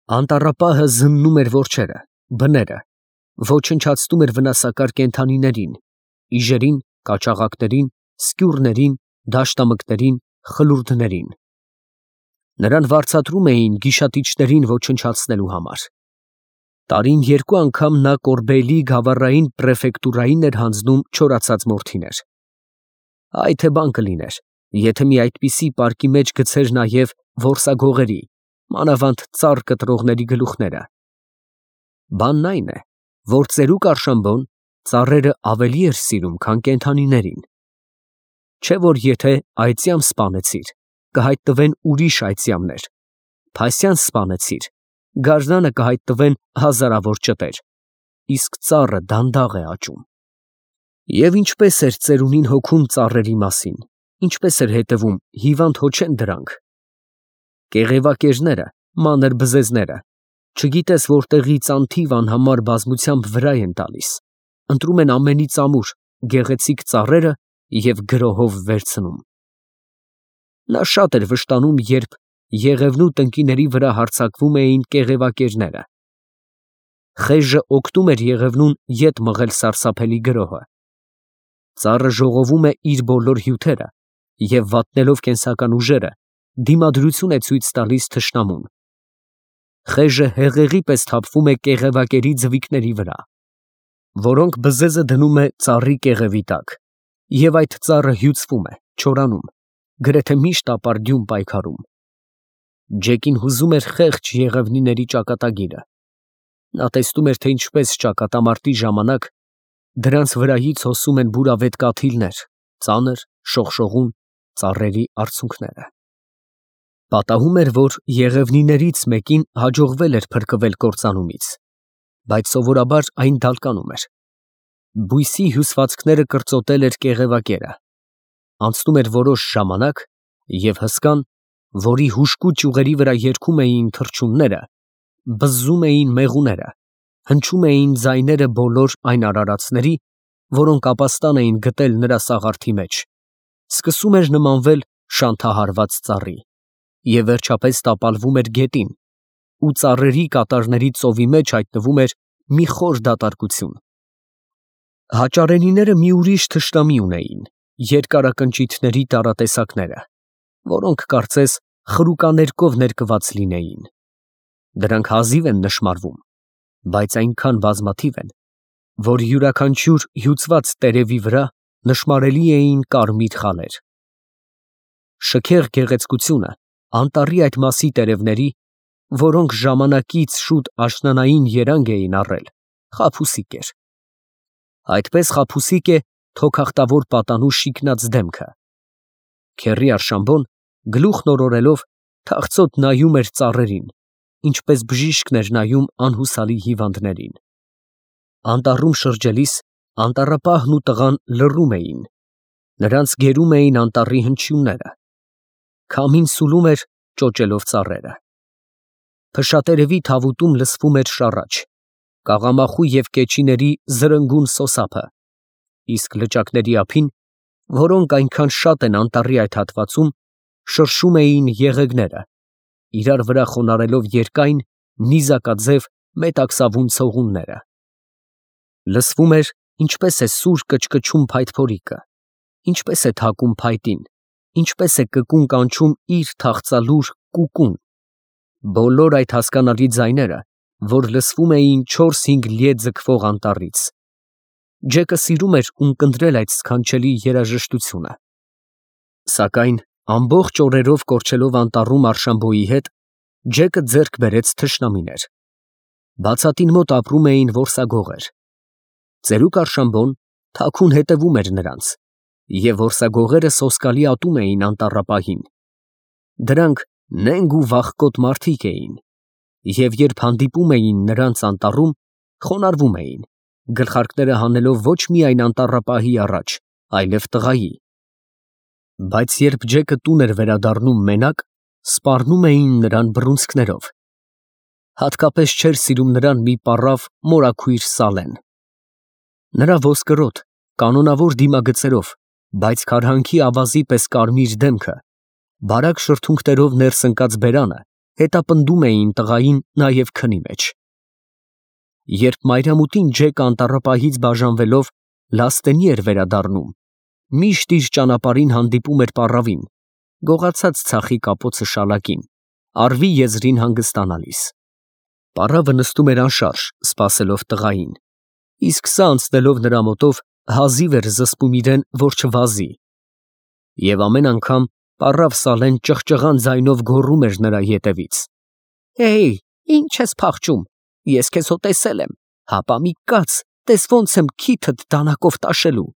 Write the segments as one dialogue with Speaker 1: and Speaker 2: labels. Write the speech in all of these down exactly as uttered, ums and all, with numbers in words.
Speaker 1: Անտառապահը զննում էր որջերը, բները, ոչնչացնում էր վնասակար կենդանիներին, իժերին, կաճաղակներին, սկյուռներին, դաշտամկներին, խլուրդներին. նրան վարձատրում էին գիշատիչներին ոչնչացնելու համար։ Տարին երկու անգամ նա Կորբեյլի գավառային պրեֆեկտուրային էր հանձնում չորացած մորթիներ։ Այ թե բան կլիներ, եթե մի այդպիսի պարկի մեջ գցեր նաև որսագողերի, մանավանդ ծառ կտրողների գլուխները։ Բանն այն է, որ ծերուկ Արշամբոն ծառերը ավելի էր սիրում, քան կենդանիներին։ Չէ՞ որ եթե այծյամ սպանեցիր, կհայտնվեն ուրիշ այծյամներ, փասյան սպանեցիր, գարնանը կհայտնվեն հազարավոր ճտեր, իսկ ծառը դանդաղ է աճում։ Եվ ինչպես էր ծերունին հոգում ծառերի մասին, ինչպես էր հետևում, հիվանդ հո չեն դրանք։ Կեղևակերները, մանր բզեզները, չգիտես որտեղից անթիվ անհամար բազմությամբ վրա են տալիս, ընտրում են ամենից ամուր, գեղեցիկ ծառերը և գրոհով վերցնում։ Նա շատ էր վշտանում, երբ Եղևնու տնկիների վրա հարձակվում էին կեղևակերները։ Խեժը օգնում էր Եղևնուն ետ մղել սարսափելի գրոհը։ Ծառը ժողովում է իր բոլոր հյութերը և վատնելով կենսական ուժերը, դիմադրություն է ցույց տալիս թշնամուն։ Խեժը հեղեղի պես թափվում է կեղևակերի ձվիկների վրա, որոնք բզեզը դնում է ծառի կեղևի տակ, և այդ ծառը հյուծվում է, չորանում, գրեթե միշտ ապարդյուն պայքարում։ Ջեկին հուզում էր խեղճ եղևնիների ճակատագիրը։ Նա տեսնում էր, թե ինչպես ճակատամարտի ժամանակ դրանց վրայից հոսում են բուրավետ կաթիլներ, ծանր, շողշողուն ծառերի արցունքները։ Պատահում էր, որ եղևնիներից մեկին հաջողվել էր փրկվել կործանումից, բայց սովորաբար այն դալկանում էր։ Բույսի հյուսվածքները կրծոտել էր կեղևակերը։ Անցնում էր որոշ ժամանակ, և հսկան, որի հուժկու ճյուղերի վրա երգում էին թռչունները, բզզում էին մեղուները, հնչում էին ձայները բոլոր այն արարածների, որոնք ապաստան էին գտել նրա սաղարթի մեջ, սկսում էր նմանվել շանթահարված ծառի, և վերջապես տապալվում էր գետին, ու ծառերի կատարների ծովի մեջ հայտնվում էր մի խոր դատարկություն։ Հաճարենիները մի ուրիշ թշնամի ունեին, երկարակնճիթների տարատեսակները, որոնք կարծես խրուկաներկով ներկված լինեին։ Դրանք հազիվ են նշմարվում, բայց այնքան բազմաթիվ են, որ յուրաքանչյուր հյուծված տերևի վրա նշմարելի էին կարմիր խալեր։ Շքեղ գեղեցկությունը անտառի այդ մասի տերևների, որոնք ժամանակից շուտ աշնանային երանգ էին առել, խաբուսիկ էր։ Այդպես խաբուսիկ է թոքախտավոր պատանու շիկնած դեմքը։ Քեռի Արշամբոն, գլուխն օրորելով, թախծոտ նայում էր ծառերին, ինչպես բժիշկն էր նայում անհուսալի հիվանդներին։ Անտառում շրջելիս անտառապահն ու տղան լռում էին, նրանց գերում էին անտառի հնչյունները։ Քամին սուլում էր, ճոճելով ծառերը։ Փշատերևի թավուտում լսվում էր շառաչ, կաղամախու և կեչիների զրնգուն սոսափը, իսկ լճակների ափին, որոնք այնքան շատ են անտառի այդ հատվածում, շրշում էին եղեգները, իրար վրա խոնարհելով երկայն, նիզակաձև մետաքսավուն ցողունները։ Լսվում էր, ինչպես է սուր կչկչում փայտփորիկը, ինչպես է թակում փայտին, ինչպես է կկուն կանչում իր թախծալուր կուկուն, բոլոր այդ հասկանալի ձայները, որ լսվում էին չորս֊հինգ լիե ձգվող անտառից։ Ջեկը սիրում էր ունկնդրել այդ սքանչելի երաժշտությունը։ Սակայն ամբողջ օրերով կորչելով անտառում Արշամբոյի հետ, Ջեկը ձեռք բերեց թշնամիներ։ Բացատին մոտ ապրում էին որսագողեր։ Ծերուկ Արշամբոն թաքուն հետևում էր նրանց, և որսագողերը սոսկալի ատում էին անտառապահին։ Դրանք նենգ ու վախկոտ մարդիկ էին, և երբ հանդիպում էին նրանց անտառում, խոնարհվում էին, գլխարկները հանելով ոչ միայն անտառապահի առաջ, այլև տղայի։ Բայց երբ Ջեկը տուն էր վերադառնում մենակ, սպառնում էին նրան բռունցքներով։ Հատկապես չէր սիրում նրան մի պառավ մորաքույր Սալեն։ Նրա ոսկրոտ, կանոնավոր դիմագծերով, բայց քարհանքի ավազի պես կարմիր դեմքը, բարակ շրթունքներով ներս ընկած բերանը հետապնդում էին տղային նաև քնի մեջ։ Երբ մայրամուտին Ջեկը անտառապահից բաժանվելով Լաստենի էր վերադառնում, միշտ իր ճանապարհին հանդիպում էր պառավին, գողացած ցախի կապոցը շալակին, արվի եզրին հանգստանալիս։ Պառավը նստում էր անշարժ, սպասելով տղային, իսկ սա անցնելով նրա մոտով հազիվ էր զսպում իրեն, որ չվազի։ Եվ ամեն անգամ պառավ Սալեն ճղճղան ձայնով գոռում էր նրա ետևից. «Հեյ, ինչ ես փախչում, ես քեզ հո տեսել եմ, հապա մի կաց, տես ոնց եմ քիթդ դանակով տաշելու»։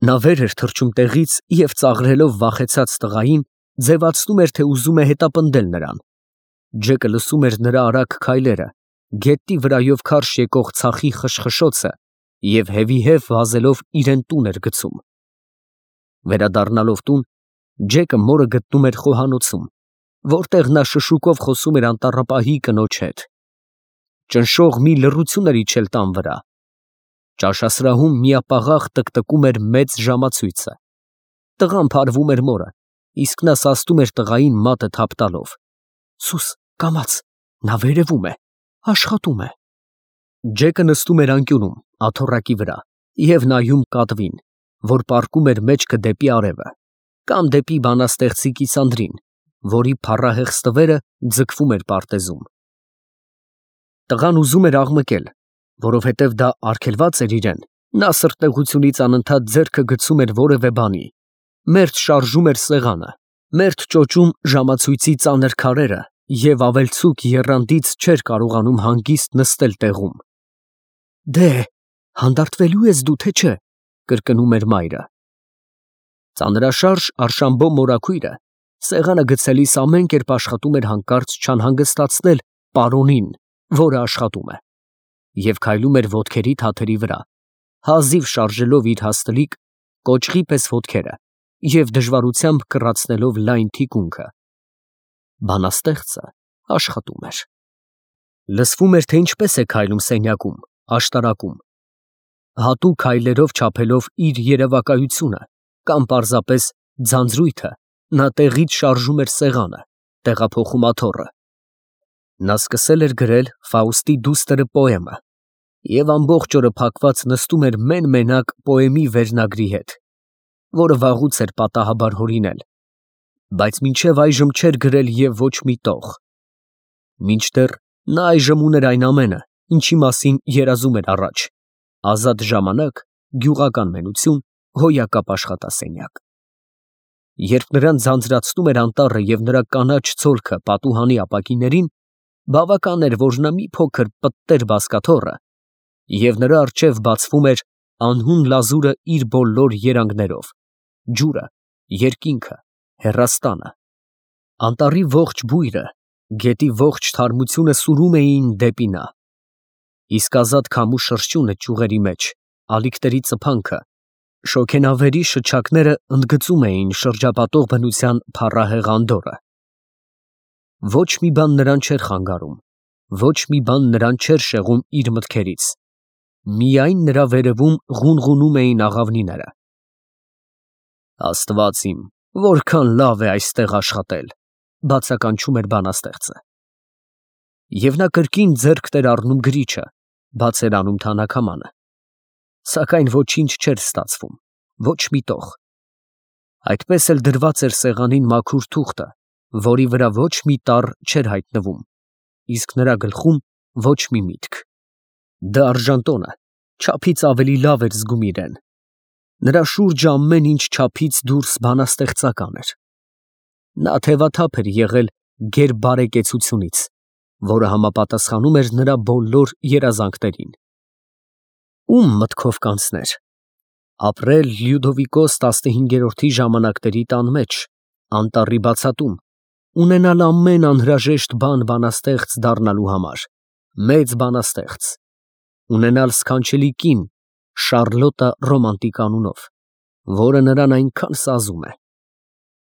Speaker 1: Նա վեր էր թռչում տեղից և ծաղրելով վախեցած տղային, ձևացնում էր, թե ուզում է հետապնդել նրան։ Ջեկը լսում էր նրա արագ քայլերը, գետնի վրայով քարշ եկող ցախի խշխշոցը և հևիհև վազելով իրեն տուն էր գցում։ Վերադառնալով տուն, Ջեկը մորը գտնում էր խոհանոցում, որտեղ նա շշուկով խոսում էր անտառապահի կնոջ հետ։ Ճնշող մի լռություն էր իջել տան վրա։ Ճաշասրահում միապաղաղ տկտկում էր մեծ ժամացույցը։ Տղան փարվում էր մորը, իսկ նա սաստում էր տղային մատը թափ տալով. «Սուս, կամաց, նա վերևում է, աշխատում է»։ Ջեկը նստում էր անկյունում, աթոռակի վրա, և նայում կատվին, որ պառկում էր մեջքը դեպի արևը, կամ դեպի բանաստեղծի կիսանդրին, որի փառահեղ ստվերը ձգվում էր պարտեզում։ Տղան ուզում էր աղմկել, որովհետև դա արգելված էր իրեն, նա սրտեղությունից անընդհատ ձեռքը գցում էր որևէ բանի, մերթ շարժում էր սեղանը, մերթ ճոճում ժամացույցի ծանր քարերը և ավելցուկ եռանդից չէր կարողանում հանգիստ նստել տեղում։ «Դե, հանդարտվելու ես դու, թե չէ», կրկնում էր մայրը։ Ծանրաշարժ Արշամբո մորաքույրը սեղանը գցելիս ամեն կերպ աշխատում էր հանկարծ չանհանգստացնել պարոնին, որը աշխատում է, և քայլում էր ոտքերի թաթերի վրա, հազիվ շարժելով իր հաստլիկ, կոճղի պես ոտքերը և դժվարությամբ կռացնելով լայն թիկունքը։ Բանաստեղծը աշխատում էր։ Լսվում էր, թե ինչպես է քայլում սենյակում, աշտարակում, հատուկ քայլերով չափելով իր երևակայությունը կամ պարզապես ձանձրույթը, նա տեղից շարժում էր սեղանը, տեղափոխում աթոռը։ Նա սկսել էր գրել Ֆաուստի դուստր պոեմը և ամբողջ օրը փակված նստում էր մեն֊մենակ պոեմի վերնագրի հետ, որը վաղուց էր պատահաբար հորինել, բայց մինչև այժմ չէր գրել և ոչ մի տող։ Մինչդեռ նա այժմ ուներ այն ամենը, ինչի մասին երազում էր առաջ՝ ազատ ժամանակ, գյուղական մենություն, հոյակապ աշխատասենյակ։ Երբ նրան ձանձրացնում էր անտառը և նրա կանաչ ցոլքը պատուհանի ապակիներին, բավական էր, որ նա մի փոքր պտտեր բազկաթոռը, և նրա առջև բացվում էր անհուն լազուրը իր բոլոր երանգներով, ջուրը, երկինքը, հեռաստանը։ Անտառի ողջ բույրը, գետի ողջ թարմությունը սուրում էին դեպի նա, իսկ ազատ քամու շրշյունը ճյուղերի մեջ, ալիքների ծփանքը, շոգենավերի շչակները ընդգծում էին շրջապատող բնության փառահեղ անդորրը։ Ոչ մի բան նրան չէր խանգարում, ոչ մի բան նրան չէր շեղում իր մտքերից, միայն նրա վերևում ղունղունում էին աղավնիները։ «Աստված իմ, որքան լավ է այստեղ աշխատել», բացականչում էր բանաստեղծը։ Եվ նա կրկին ձեռքն էր առնում գրիչը, բաց էր անում թանաքամանը, սակայն ոչինչ չէր ստացվում, ոչ մի տող։ Այդպես էլ դրված էր սեղանին մաքուր թուղթը, որի վրա ոչ մի տառ չէր հայտնվում, իսկ նրա գլխում ոչ մի միտք։ Դա արժանտոնը չափից ավելի լավ էր զգում իրեն։ Նրա շուրջը ամեն ինչ չափից դուրս բանաստեղծական էր։ Նա թևաթափ էր եղել գերբարեկեցությունից, որը համապատասխանում էր նրա բոլոր երազանքներին։ Ո՞ւմ մտքով կանցներ։ Ապրել Լյուդովիկոս տասնհինգերորդի ժամանակների տան մեջ, անտառի բացատում, ունենալ ամեն անհրաժեշտ բան բանաստեղծ դառնալու համար, մեծ բանաստեղծ, ունենալ սքանչելի կին Շառլոտա Ռոմանտիկ անունով, որը նրան այնքան սազում է,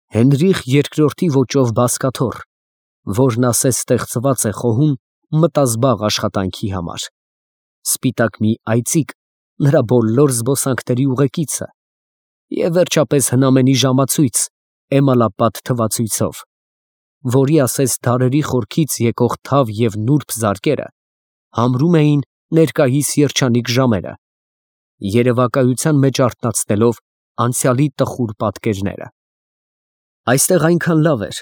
Speaker 1: Հենրիխ երկրորդի ոճով բազկաթոռ, որն ասես ստեղծված է խոհում մտազբաղ աշխատանքի համար, սպիտակ մի այծիկ նրա բոլոր զբոսանքների ուղեկիցը և վերջապես հնամենի ժամացույց էմալապատ թվացույցով, որի ասես դարերի խորքից եկող թավ և նուրբ զարկերը համրում էին ներկայիս երջանիկ ժամերը, երևակայության մեջ արթնացնելով անցյալի տխուր պատկերները։ Այստեղ այնքան լավ էր,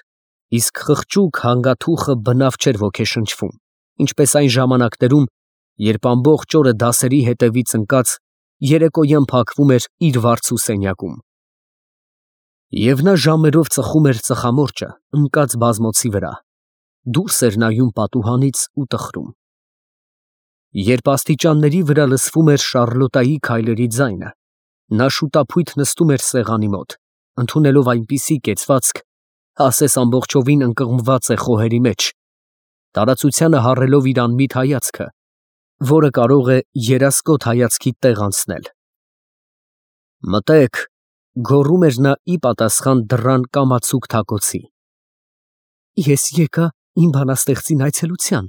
Speaker 1: իսկ խղճուկ հանգաթուխը բնավ չէր ոգեշնչվում, ինչպես այն ժամանակներում, երբ ամբողջ օրը դասերի հետևից ընկած երեկոյան փակվում էր իր վարձու սենյակում։ Եվ նա ժամերով ծխում էր ծխամորճը ընկած բազմոցի վրա, դուրս էր նայում պատուհանից ու տխրում։ Երբ աստիճանների վրա լսվում էր Շառլոտայի քայլերի ձայնը, նա շուտափույթ նստում էր սեղանի մոտ, ընդունելով այնպիսի կեցվածք, ասես ամբողջովին ընկղմված է խոհերի մեջ, տարածությանը հառելով իր անմիտ հայացքը, որը կարող է երասկոտ հայացքի տեղ անցնել։ «Մտեք», գոռում էր նա ի պատասխան դռան կամացուկ թակոցի։ «Ես եկա իմ բանաստեղծին այցելության»,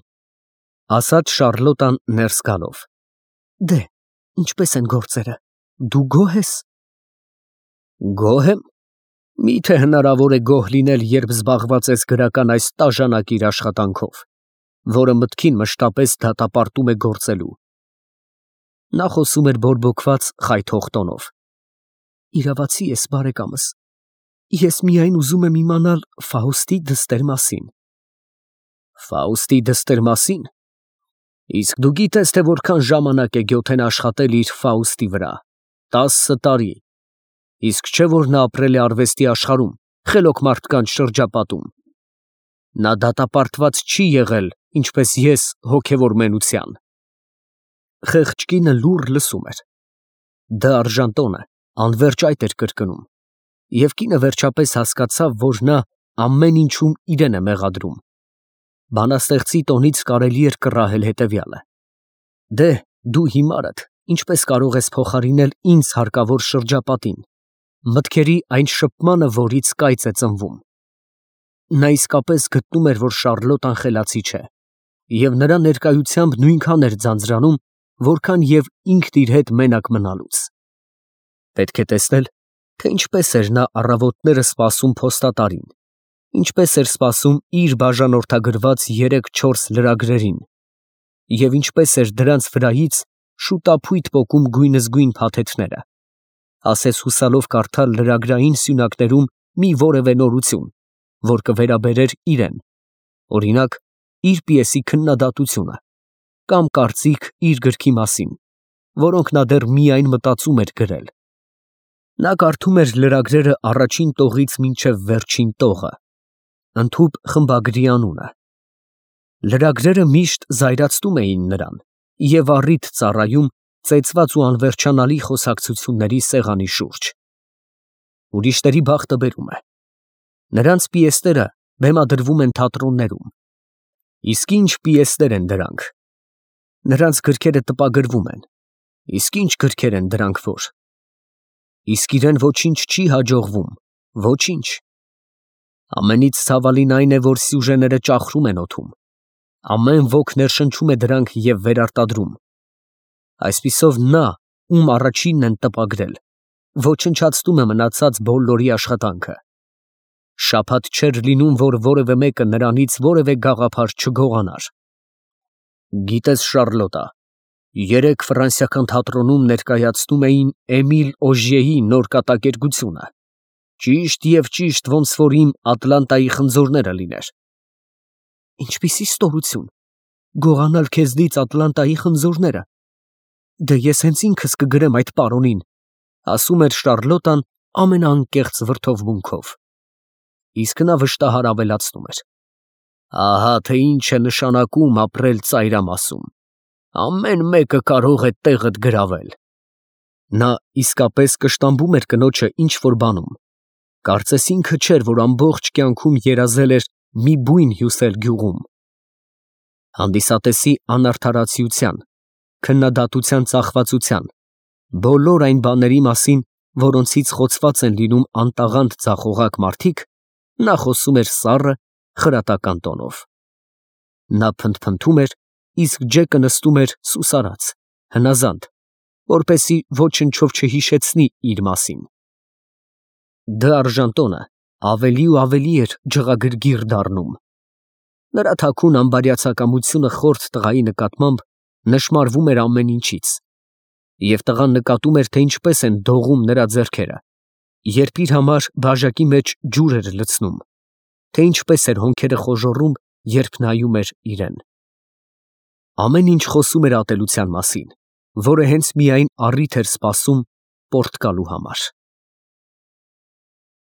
Speaker 1: ասաց Շառլոտան ներս գալով։ «Դե, ինչպե՞ս են գործերը, դու գոհ ես»։ «Գոհ եմ։ Մի՞թե հնարավոր է գոհ լինել, երբ զբաղված ես գրական այս տաժանակիր աշխատանքով, որը մտքին մշտապես դատապարտում է գործելու»։ Նա խոսում էր բորբոքված խայթող տոնով։ «Իրավացի ես, բարեկամս, ես միայն ուզում եմ իմանալ Ֆաուստի դստեր մասին»։ «Ֆաուստի դստեր մասին։ Իսկ դու գիտես, թե որքան ժամանակ է Գյոթեն աշխատել իր Ֆաուստի վրա։ Տասը տարի։ Իսկ չէ՞ որ նա ապրել է արվեստի աշխարհում, խելոք մարդկանց շրջապատում։ Նա դատապարտված չի եղել, ինչպես ես, հոգևոր մենության»։ Խեղճ կինը լուռ լսում էր։ Դա արժանտոնը անվերջ այդ էր կրկնում, և կինը վերջապես հասկացավ, որ նա ամեն ինչում իրեն է մեղադրում։ Բանաստեղծի տոնից կարելի էր կռահել հետևյալը. «Դե, դու հիմարդ ինչպես կարող ես փոխարինել ինձ հարկավոր շրջապատին, մտքերի այն շփմանը, որից կայծ է ծնվում»։ Նա իսկապես գտնում էր, որ Շառլոտան խելացի չէ, և նրա ներկայությամբ նույնքան էր ձանձրանում, որքան և ինքն իր հետ մենակ մնալուց։ Պետք է տեսնել, թե ինչպես էր նա առավոտները սպասում փոստատարին, ինչպես էր սպասում իր բաժանորդագրված երեք֊չորս լրագրերին, և ինչպես էր դրանց վրայից շուտափույթ պոկում գույնզգույն փաթեթները, ասես հուսալով կարդալ լրագրային սյունակներում մի որևէ նորություն, որ կվերաբերեր իրեն, օրինակ, իր պիեսի քննադատությունը, կամ կարծիք իր գրքի մասին, որոնք նա դեռ միայն մտածում էր գրել։ Նա կարդում էր լրագրերը առաջին տողից մինչև վերջին տողը, ընդհուպ խմբագրի անունը։ Լրագրերը միշտ զայրացնում էին նրան և առիթ ծառայում ծեծված ու անվերջանալի խոսակցությունների սեղանի շուրջ։ Ուրիշների բախտը բերում է։ Նրանց պիեսները բեմադրվում են թատրոններում։ Իսկ ինչ պիեսներ են դրանք։ Նրանց գրքերը տպագրվում են։ Իսկ ինչ գրքեր են դրանք որ։ Իսկ իրեն ոչինչ չի հաջողվում, ոչինչ։ Ամենից ցավալին այն է, որ սյուժեները ճախրում են օդում։ Ամեն ոք ներշնչում է դրանք և վերարտադրում։ Այսպիսով նա, ում առաջինն են տպագրել, ոչնչացնում է մնացած բոլորի աշխատանքը։ Շաբաթ չէր լինում, որ որևէ մեկը նրանից որևէ գաղափար չգողանար։ Գիտես, Շառլոտա, երեկ ֆրանսիական թատրոնում ներկայացնում էին Էմիլ Օժիեի նոր կատակերգությունը, ճիշտ և ճիշտ ոնց որ իմ Ատլանտայի խնձորները լիներ։ Ինչպիսի ստորություն, գողանալ քեզնից Ատլանտայի խնձորները։ Դե ես հենց ինքս կգրեմ այդ պարոնին, ասում էր Շառլոտան ամենաանկեղծ վրդովմունքով։ Իսկ նա վշտահար ավելացնում էր. ահա թե ինչ է նշանակում ապրել ծայրամասում, ամեն մեկը կարող է տեղդ գրավել։ Նա իսկապես կշտամբում էր կնոջը ինչ-որ բանում, կարծես ինքը չէր, որ ամբողջ կյանքում երազել էր մի բույն հյուսել գյուղում։ Հանդիսատեսի անարդարացիության, քննադատության ծախվածության, բոլոր այն բաների մասին, որոնցից խոցված են լինում անտաղանդ ձախողակ մարդիկ, նա խոսում էր սառը, խրատական տոնով։ Նա փնթփնթում էր, իսկ Ջեկը նստում էր սուսարած, հնազանդ, որպեսզի ոչնչով չհիշեցնի իր մասին։ Դ'Արժանտոնը ավելի ու ավելի էր ջղագրգիռ դառնում։ Նրա թաքուն անբարյացակամությունը խորթ տղայի նկատմամբ նշմարվում էր ամեն ինչից, և տղան նկատում էր, թե ինչպես են դողում նրա ձեռքերը, երբ իր համար բաժակի մեջ ջուր էր լցնում, թե ինչպես էր հոնքերը խոժոռում, երբ նայում էր իրեն։ Ամեն ինչ խոսում էր ատելության մասին, որը հենց միայն առիթ էր սպասում պոռթկալու համար։